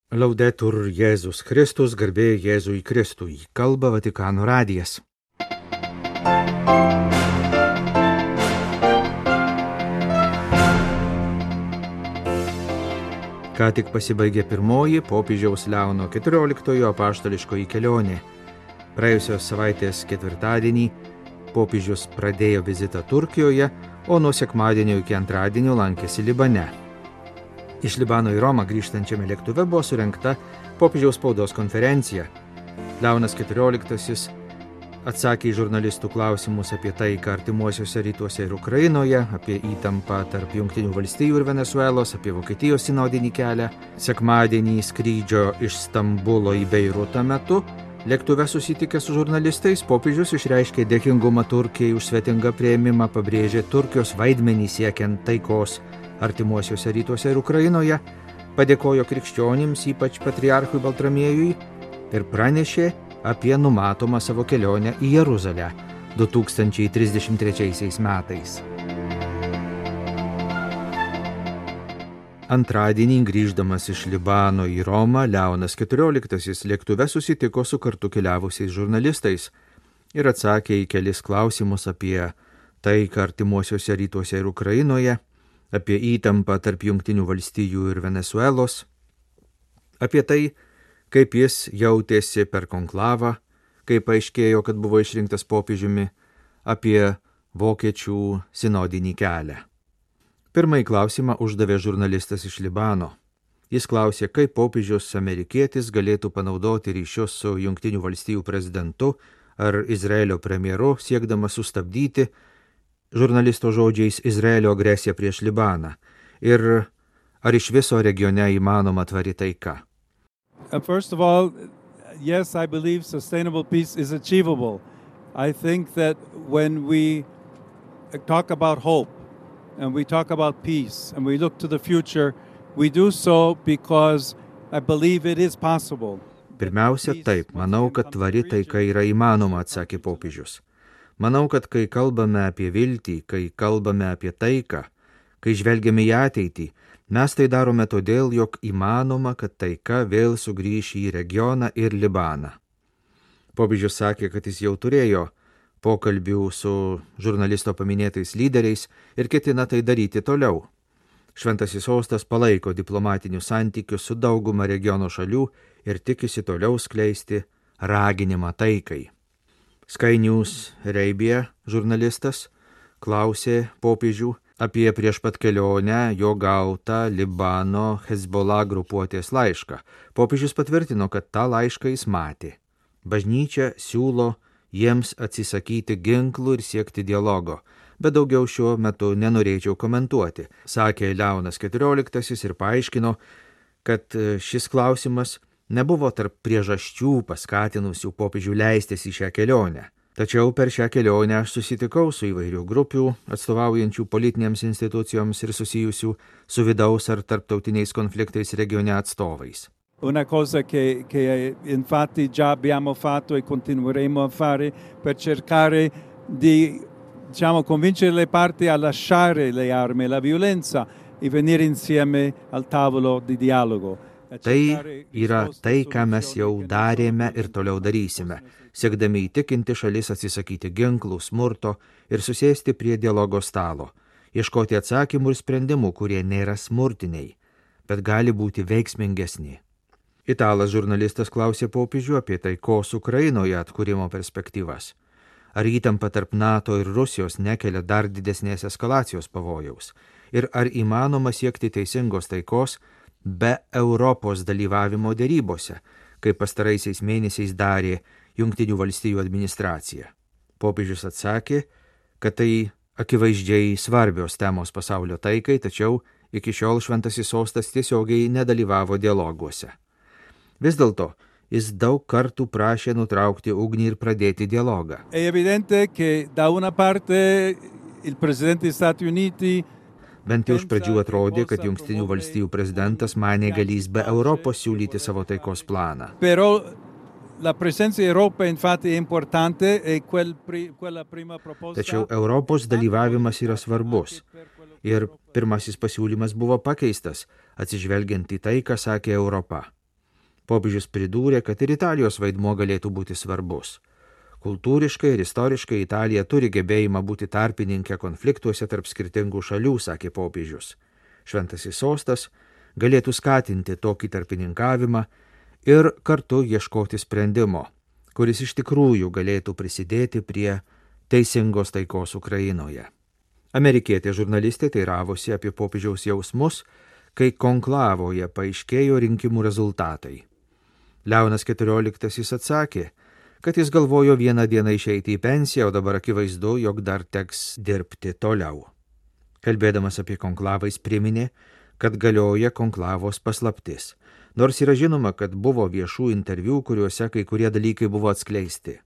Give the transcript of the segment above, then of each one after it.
Laudetur Jėzus Kristus, garbė Jėzui Kristui, kalba Vatikano radijas. Ką tik pasibaigė pirmoji popiežiaus Leono XIV apaštališkoji kelionė. Praėjusios savaitės ketvirtadienį popiežius pradėjo vizitą Turkijoje, o nuo sekmadienio iki antradienio lankėsi Libane. Iš Libano į Romą grįžtančiame lėktuve buvo surengta popiežiaus spaudos konferencija. Leonas XIV atsakė į žurnalistų klausimus apie taiką artimuosiuose rytuose ir Ukrainoje, apie įtampą tarp Jungtinių valstijų ir Venesuelos, apie Vokietijos sinodinį kelią. Sekmadienį skrydžio iš Stambulo į Beirutą metu lėktuve susitikęs su žurnalistais popiežius išreiškė dėkingumą Turkijai už svetingą priėmimą, pabrėžė Turkijos vaidmenį siekiant taikos artimuosiuose rytuose ir Ukrainoje, padėkojo krikščionims, ypač patriarchui Baltramiejui, ir pranešė apie numatomą savo kelionę į Jeruzalę 2033 metais. Antradienį grįždamas iš Libano į Romą, Leonas XIV lėktuve susitiko su kartu keliavusiais žurnalistais ir atsakė į kelis klausimus apie taiką artimuosiuose rytuose ir Ukrainoje, apie įtampą tarp Jungtinių valstijų ir Venesuelos, apie tai, kaip jis jautėsi per konklavą, kaip paaiškėjo, kad buvo išrinktas popiežiumi, apie vokiečių sinodinį kelią. Pirmąjį klausimą uždavė žurnalistas iš Libano. Jis klausė, kaip popiežius amerikietis galėtų panaudoti ryšius su Jungtinių valstijų prezidentu ar Izraelio premjeru, siekdamas sustabdyti žurnalisto žodžiais Izraelio agresiją prieš Libaną ir ar iš viso regione įmanoma tvari taika. First of all, yes, I believe sustainable peace is achievable. I think that when we talk about hope and we talk about peace and we look to the future, we do so because I believe it is possible. Pirmiausia, taip, manau, kad tvari taika yra įmanoma, atsakė popiežius. Manau, kad kai kalbame apie viltį, kai kalbame apie taiką, kai žvelgiame į ateitį, mes tai darome todėl, jog įmanoma, kad taika vėl sugrįš į regioną ir Libaną. Popiežius sakė, kad jis jau turėjo pokalbių su žurnalisto paminėtais lyderiais ir ketina tai daryti toliau. Šventasis sostas palaiko diplomatinius santykius su dauguma regiono šalių ir tikisi toliau skleisti raginimą taikai. Sky News Arabia žurnalistas klausė popiežių apie prieš pat kelionę jo gautą Libano Hezbollah grupuotės laišką. Popiežius patvirtino, kad tą laišką jis matė. Bažnyčia siūlo jiems atsisakyti ginklų ir siekti dialogo, bet daugiau šiuo metu nenorėčiau komentuoti, sakė Leonas XIV ir paaiškino, kad šis klausimas nebuvo tarp priežasčių paskatinusių popiežių leistis į šią kelionę. Tačiau per šią kelionę aš susitikau su įvairių grupių, atstovaujančių politinėms institucijoms ir susijusių su vidaus ar tarptautiniais konfliktais regione atstovais. Una cosa che infatti già abbiamo fatto e continueremo a fare per cercare di, convincere le parti a lasciare le armi e la violenza e venire insieme al tavolo di dialogo. Tai yra tai, ką mes jau darėme ir toliau darysime, siekdami įtikinti šalis atsisakyti ginklų, smurto ir susėsti prie dialogo stalo, ieškoti atsakymų ir sprendimų, kurie nėra smurtiniai, bet gali būti veiksmingesni. Italas žurnalistas klausė popiežių apie taikos Ukrainoje atkūrimo perspektyvas. Ar įtampa tarp NATO ir Rusijos nekelia dar didesnės eskalacijos pavojaus? Ir ar įmanoma siekti teisingos taikos be Europos dalyvavimo derybose, kaip pastaraisiais mėnesiais darė Jungtinių valstijų administracija? Popiežius atsakė, kad tai akivaizdžiai svarbios temos pasaulio taikai, tačiau iki šiol šventasis sostas tiesiogiai nedalyvavo dialoguose. Vis dėlto, jis daug kartų prašė nutraukti ugnį ir pradėti dialogą. È evidente che da una parte il presidente degli Stati Uniti Bent jau iš pradžių atrodė, kad Jungtinių valstijų prezidentas manė galys be Europos siūlyti savo taikos planą. Tačiau Europos dalyvavimas yra svarbus. Ir pirmasis pasiūlymas buvo pakeistas, atsižvelgiant į tai, ką sakė Europa. Popiežius pridūrė, kad ir Italijos vaidmuo galėtų būti svarbus. Kultūriškai ir istoriškai Italija turi gebėjimą būti tarpininkė konfliktuose tarp skirtingų šalių, sakė popiežius. Šventasis sostas galėtų skatinti tokį tarpininkavimą ir kartu ieškoti sprendimo, kuris iš tikrųjų galėtų prisidėti prie teisingos taikos Ukrainoje. Amerikietė žurnalistė teiravosi apie popiežiaus jausmus, kai konklavoje paaiškėjo rinkimų rezultatai. Leonas XIV atsakė, kad jis galvojo vieną dieną išeiti į pensiją, o dabar akivaizdu, jog dar teks dirbti toliau. Kalbėdamas apie konklavą jis priminė, kad galioja konklavos paslaptis, nors yra žinoma, kad buvo viešų interviu, kuriuose kai kurie dalykai buvo atskleisti.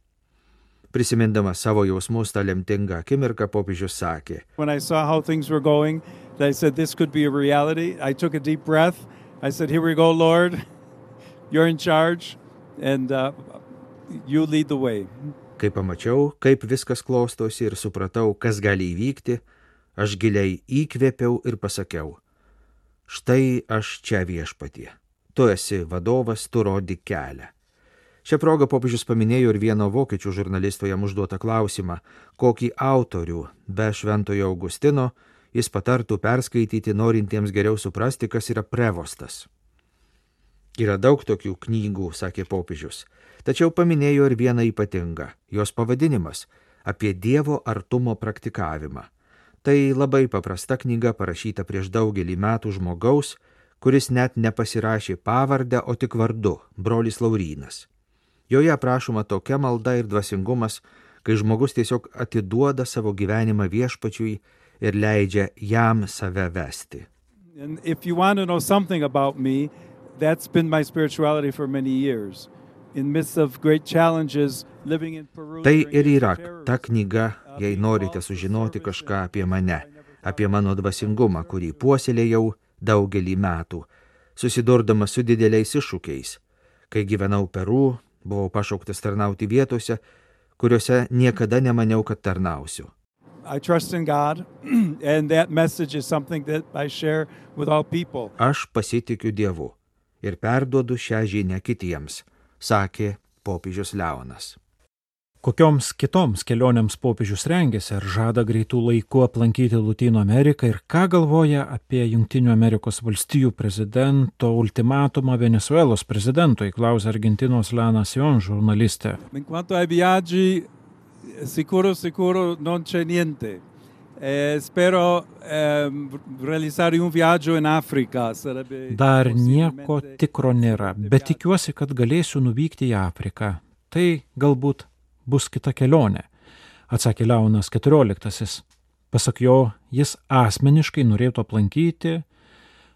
Prisimindamas savo jausmus tą lemtingą akimirką, popiežius sakė: When I saw how things were going, I said this could be a reality. I took a deep breath. I said, here we go, Lord. You're in charge and you lead the way. Kai pamačiau, kaip viskas klostosi ir supratau, kas gali įvykti, aš giliai įkvėpiau ir pasakiau: štai aš čia, Viešpatie. Tu esi vadovas, tu rodyk kelią. Šią progą popiežius paminėjo ir vieno vokiečių žurnalisto jam užduotą klausimą, kokį autorių be Šventojo Augustino jis patartų perskaityti norintiems geriau suprasti, kas yra prevostas. Yra daug tokių knygų, sakė popiežius, tačiau paminėjo ir vieną ypatingą, jos pavadinimas – apie Dievo artumo praktikavimą. Tai labai paprasta knyga parašyta prieš daugelį metų žmogaus, kuris net nepasirašė pavardę, o tik vardu – brolis Laurynas. Joje aprašoma tokia malda ir dvasingumas, kai žmogus tiesiog atiduoda savo gyvenimą Viešpačiui ir leidžia jam save vesti. And if you want to know something about me, that's been my spirituality for many years. In midst of great challenges, living in Peru. Tai ir yra ta knyga, jei norite sužinoti kažką apie mane, apie mano dvasingumą, kurį puoselėjau daugelį metų, susidurdamas su dideliais iššūkiais. Kai gyvenau Peru, buvau pašauktas tarnauti vietose, kuriuose niekada nemaniau, kad tarnausiu. I trust in God, and that message is something that I share with all people. Aš pasitikiu Dievu ir perduodu šią žinią kitiems, sakė popiežius Leonas. Kokioms kitoms kelionėms popiežius rengėsi ar žada greitų laikų aplankyti Lotynų Ameriką ir ką galvoja apie Jungtinių Amerikos valstijų prezidento ultimatumą Venezuelos prezidentui, klausė Argentinos La Nación žurnalistė. En cuanto ai viaggi, sicuro non c'è niente. Spero realizzare un viaggio in Africa. Dar nieko tikro nėra, bet tikiuosi, kad galėsiu nuvykti į Afriką. Tai galbūt bus kita kelionė, atsakė Leonas XIV. Pasak jo, jis asmeniškai norėtų aplankyti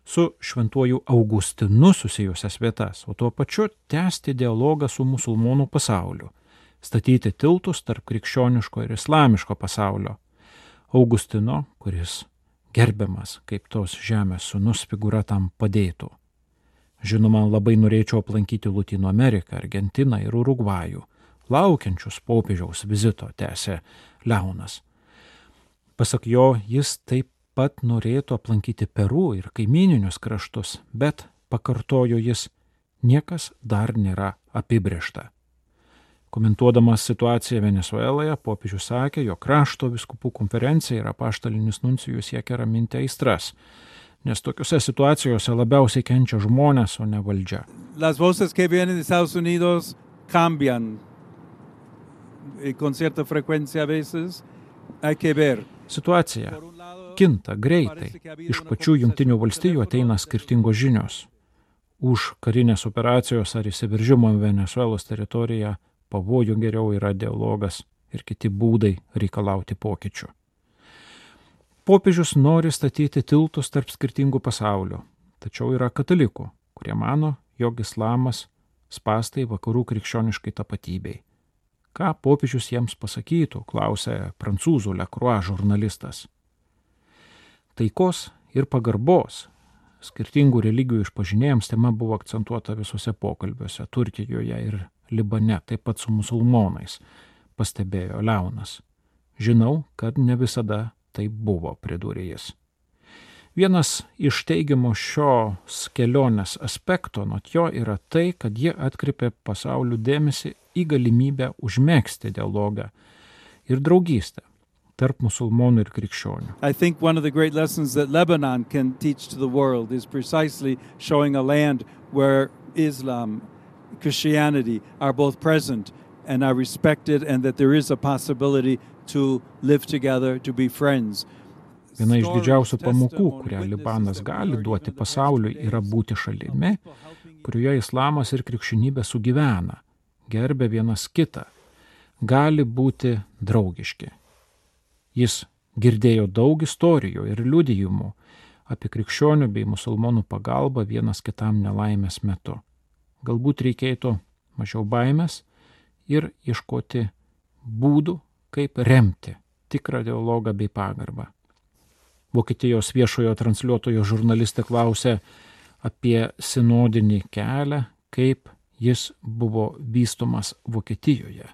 su Šventuoju Augustinu susijusias vietas, o tuo pačiu tęsti dialogą su musulmonų pasauliu, statyti tiltus tarp krikščioniško ir islamiško pasaulio. Augustino, kuris gerbiamas kaip tos žemės sūnus, figūra tam padėtų. Žinoma, labai norėčiau aplankyti Lotynų Ameriką, Argentiną ir Urugvajų, laukiančius popiežiaus vizito, tęsė Leonas. Pasak jo, jis taip pat norėtų aplankyti Peru ir kaimyninius kraštus, bet, pakartojo jis, niekas dar nėra apibrėžta. Komentuodamas situaciją Venezueloje, popiežius sakė, jog krašto vyskupų konferencija ir apaštalinis nuncijus siekia raminti aistras, nes tokiuose situacijose labiausiai kenčia žmonės, o ne valdžia. Las voces que vienen de Estados Unidos cambian con cierta frecuencia a veces. Hay que ver. Situacija kinta greitai. Iš pačių Jungtinių valstijų ateina skirtingos žinios. Už karinės operacijos ar įsiveržimo Venezuelos teritoriją pavojų geriau yra dialogas ir kiti būdai reikalauti pokyčių. Popiežius nori statyti tiltus tarp skirtingų pasaulių, tačiau yra katalikų, kurie mano, jog islamas spąstai vakarų krikščioniškai tapatybei. Ką popiežius jiems pasakytų, klausė prancūzų Le Croix žurnalistas. Taikos ir pagarbos skirtingų religijų išpažinėjams tema buvo akcentuota visose pokalbiuose Turkijoje ir Libane, taip pat su musulmonais, pastebėjo Leonas. Žinau, kad ne visada taip buvo, pridūrė jis. Vienas iš teigiamų šios kelionės aspektų nuo jo yra tai, kad jie atkreipė pasaulio dėmesį į galimybę užmegzti dialogą ir draugystę tarp musulmonų ir krikščionių. I think one of the great lessons that Lebanon can teach to the world is precisely showing a land where Islam, Christianity are both present and are respected, and that there is a possibility to live together, to be friends. Viena iš didžiausių pamokų, kurią Libanas gali duoti pasauliui, yra būti šalimi, kurioje islamas ir krikščionybė sugyvena, gerbia vienas kitą, gali būti draugiški. Jis girdėjo daug istorijų ir liudijimų apie krikščionių bei musulmonų pagalbą vienas kitam nelaimės metu. Galbūt reikėtų mažiau baimės ir ieškoti būdų, kaip remti tikrą dialogą bei pagarbą. Vokietijos viešojo transliuotojo žurnalistė klausė apie sinodinį kelią, kaip jis buvo vystomas Vokietijoje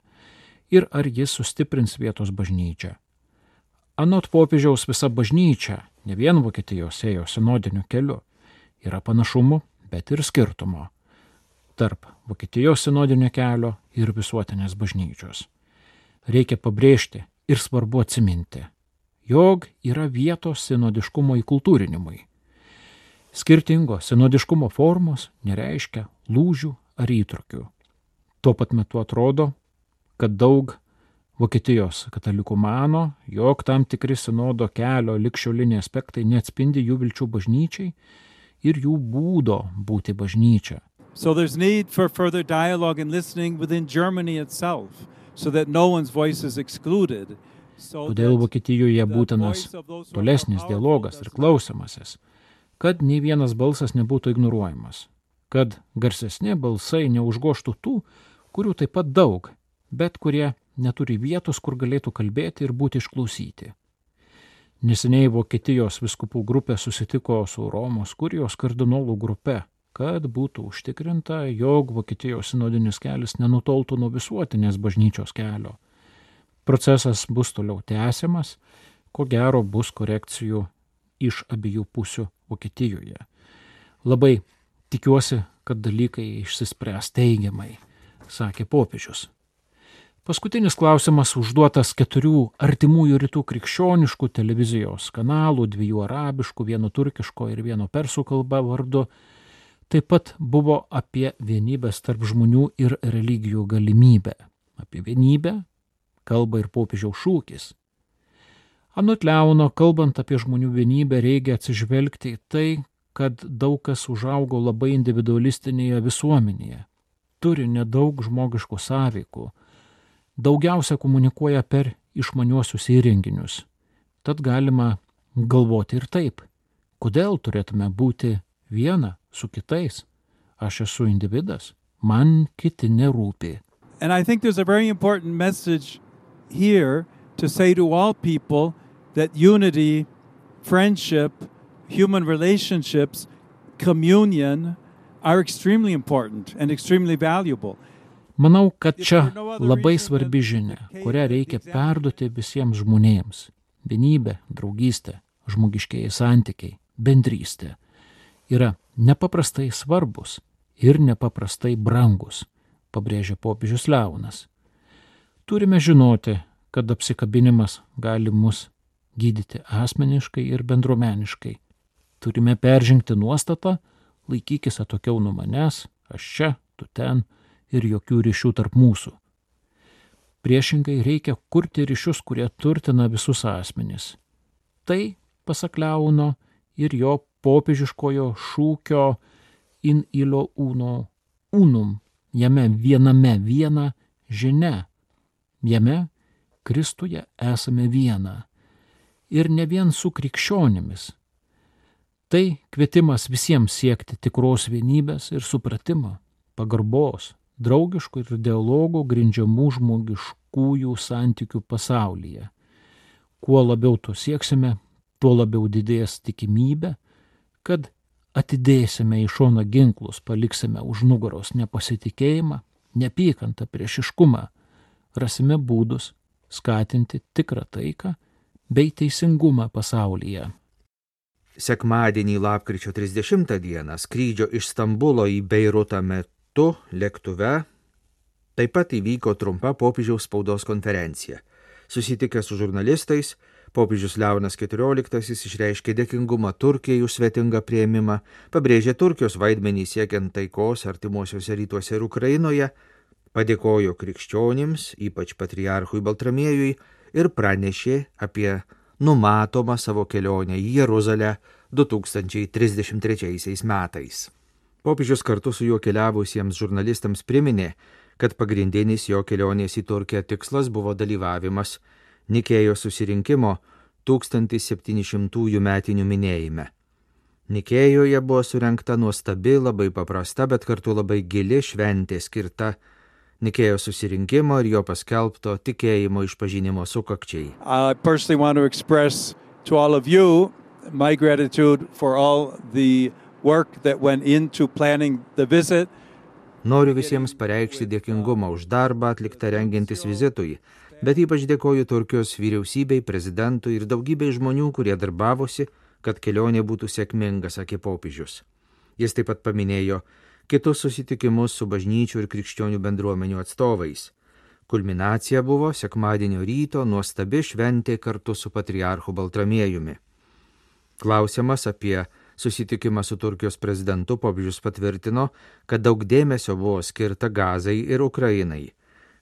ir ar jis sustiprins vietos bažnyčią. Anot popiežiaus visa bažnyčia, ne vien Vokietijos ėjo sinodiniu keliu, yra panašumų, bet ir skirtumo tarp Vokietijos sinodinio kelio ir visuotinės bažnyčios. Reikia pabrėžti ir svarbu atsiminti, jog yra vietos sinodiškumo įkultūrinimui. Skirtingos sinodiškumo formos nereiškia lūžių ar įtrūkių. Tuo pat metu atrodo, kad daug Vokietijos katalikų mano, jog tam tikri sinodo kelio ligšioliniai aspektai neatspindi jų vilčių bažnyčiai ir jų būdo būti bažnyčia. So there's need for further dialogue and listening within Germany itself, so that no one's voice is excluded. Todėl Vokietijoje būtinas tolesnis dialogas ir klausimasis, kad nei vienas balsas nebūtų ignoruojamas, kad garsesni balsai neužgoštų tų, kurių taip pat daug, bet kurie neturi vietos, kur galėtų kalbėti ir būti išklausyti. Neseniai Vokietijos vyskupų grupė susitiko su Romos kurijos kardinolų grupe, kad būtų užtikrinta, jog Vokietijos sinodinis kelias nenutoltų nuo visuotinės bažnyčios kelio. Procesas bus toliau tęsiamas, ko gero bus korekcijų iš abiejų pusių Vokietijoje. Labai tikiuosi, kad dalykai išsispręs teigiamai, sakė popiežius. Paskutinis klausimas užduotas 4 artimųjų rytų krikščioniškų televizijos kanalų, 2 arabiškų, 1 turkiško ir 1 persų kalba vardu, taip pat buvo apie vienybės tarp žmonių ir religijų galimybę. Apie vienybę kalba ir popiežiaus šūkis. Anot Leono, kalbant apie žmonių vienybę, reikia atsižvelgti į tai, kad daug kas užaugo labai individualistinėje visuomenėje, turi nedaug žmogiškų sąveikų, daugiausia komunikuoja per išmaniuosius įrenginius. Tad galima galvoti ir taip, kodėl turėtume būti viena su kitais. Aš esu individas, man kiti nerūpi. And I think there's a very important message here to say to all people that unity, friendship, human relationships, communion are extremely important and extremely valuable. Manau, kad čia labai svarbi žinia, kurią reikia perduoti visiems žmonėms. Vienybė, draugystė, žmogiškieji santykiai, bendrystė yra nepaprastai svarbus ir nepaprastai brangus, pabrėžia popiežius Leonas. Turime žinoti, kad apsikabinimas gali mus gydyti asmeniškai ir bendruomeniškai. Turime peržengti nuostatą, laikykis atokiau nuo manęs, aš čia, tu ten, ir jokių ryšių tarp mūsų. Priešingai reikia kurti ryšius, kurie turtina visus asmenis. Tai, pasak Leono, ir jo popiežiškojo šūkio in illo uno unum, jame viename viena žinia, jame Kristuje esame viena ir ne vien su krikščionimis. Tai kvietimas visiems siekti tikros vienybės ir supratimo, pagarbos, draugiškų ir dialogų grindžiamų žmogiškųjų santykių pasaulyje. Kuo labiau to sieksime, tuo labiau didės tikimybė, kad atidėsime į šoną ginklus, paliksime už nugaros nepasitikėjimą, neapykantą, priešiškumą, rasime būdus skatinti tikrą taiką bei teisingumą pasaulyje. Sekmadienį lapkričio 30 dieną skrydžio iš Stambulo į Beirutą metu lėktuve taip pat įvyko trumpa popiežiaus spaudos konferencija. Susitikęs su žurnalistais, popiežius Leonas XIV išreiškė dėkingumą Turkijai už svetingą priėmimą, pabrėžė Turkijos vaidmenį siekiant taikos artimuosiuose rytuose ir Ukrainoje, padėkojo krikščionims, ypač patriarchui Baltramiejui, ir pranešė apie numatomą savo kelionę į Jeruzalę 2033 metais. Popiežius kartu su juo keliavusiems žurnalistams priminė, kad pagrindinis jo kelionės į Turkiją tikslas buvo dalyvavimas Nikėjos susirinkimo 1700 metinių minėjime. Nikėjoje buvo surengta nuostabi, labai paprasta, bet kartu labai gili šventė skirta Nikėjos susirinkimo ir jo paskelbto tikėjimo išpažinimo sukakčiai. I personally want to express to all of you my gratitude for all the work that went into planning the visit. Noriu visiems pareikšti dėkingumą už darbą atliktą rengiantis vizitui, bet ypač dėkoju Turkijos vyriausybei, prezidentui ir daugybei žmonių, kurie darbavosi, kad kelionė būtų sėkminga, sakė popiežius. Jis taip pat paminėjo kitus susitikimus su bažnyčių ir krikščionių bendruomenių atstovais. Kulminacija buvo sekmadienio ryto nuostabi šventė kartu su patriarchu Baltramiejumi. Klausiamas apie susitikimą su Turkijos prezidentu, popiežius patvirtino, kad daug dėmesio buvo skirta Gazai ir Ukrainai.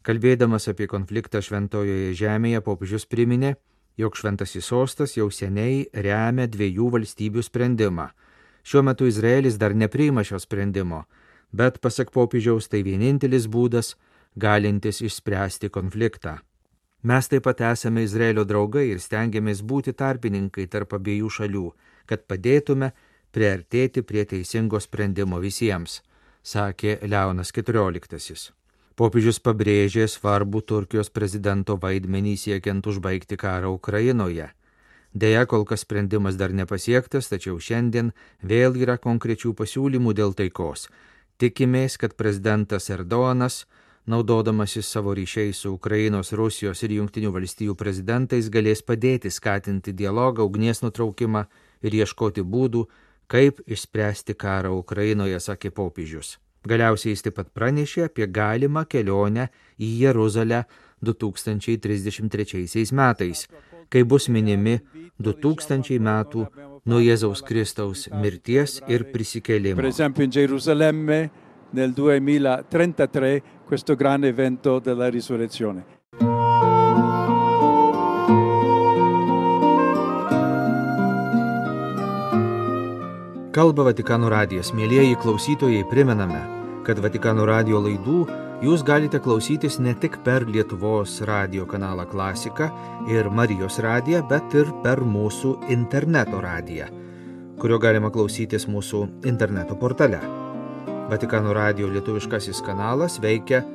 Kalbėdamas apie konfliktą Šventojoje žemėje, popiežius priminė, jog Šventasis sostas jau seniai remia 2 valstybių sprendimą. Šiuo metu Izraelis dar nepriima šio sprendimo, bet pasak popiežiaus tai vienintelis būdas, galintis išspręsti konfliktą. Mes taip pat esame Izraelio draugai ir stengiamės būti tarpininkai tarp abiejų šalių, kad padėtume priartėti prie teisingo sprendimo visiems, sakė Leonas XIV. Popiežius pabrėžė svarbų Turkijos prezidento vaidmenį siekiant užbaigti karą Ukrainoje. Deja, kol kas sprendimas dar nepasiektas, tačiau šiandien vėl yra konkrečių pasiūlymų dėl taikos. Tikimės, kad prezidentas Erdoganas, naudodamasis savo ryšiais su Ukrainos, Rusijos ir Jungtinių valstijų prezidentais, galės padėti skatinti dialogą, ugnies nutraukimą ir ieškoti būdų, kaip išspręsti karą Ukrainoje, sakė popiežius. Galiausiai jis taip pat pranešė apie galimą kelionę į Jeruzalę 2033 metais, kai bus minimi 2000 metų nuo Jėzaus Kristaus mirties ir prisikėlimo. Per esempio in Gerusalemme nel 2033 questo grande evento della risurrezione. Kalba Vatikano radijas. Mielieji klausytojai, primename, kad Vatikano radijo laidų jūs galite klausytis ne tik per Lietuvos radijo kanalą Klasika ir Marijos radiją, bet ir per mūsų interneto radiją, kurio galima klausytis mūsų interneto portale. Vatikano radijo lietuviškasis kanalas veikia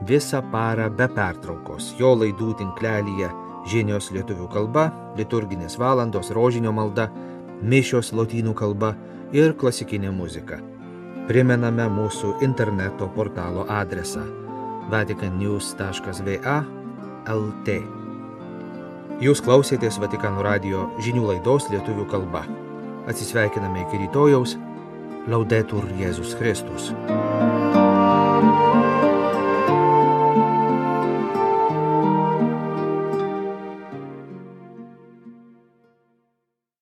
visą parą be pertraukos. Jo laidų tinklelyje žinios lietuvių kalba, liturginės valandos, rožinio malda, mišios lotynų kalba ir klasikinė muzika. Primename mūsų interneto portalo adresą vaticannews.va/lt. Jūs klausėtės Vatikano radijo žinių laidos lietuvių kalba. Atsisveikiname iki rytojaus. Laudetur Jėzus Kristus.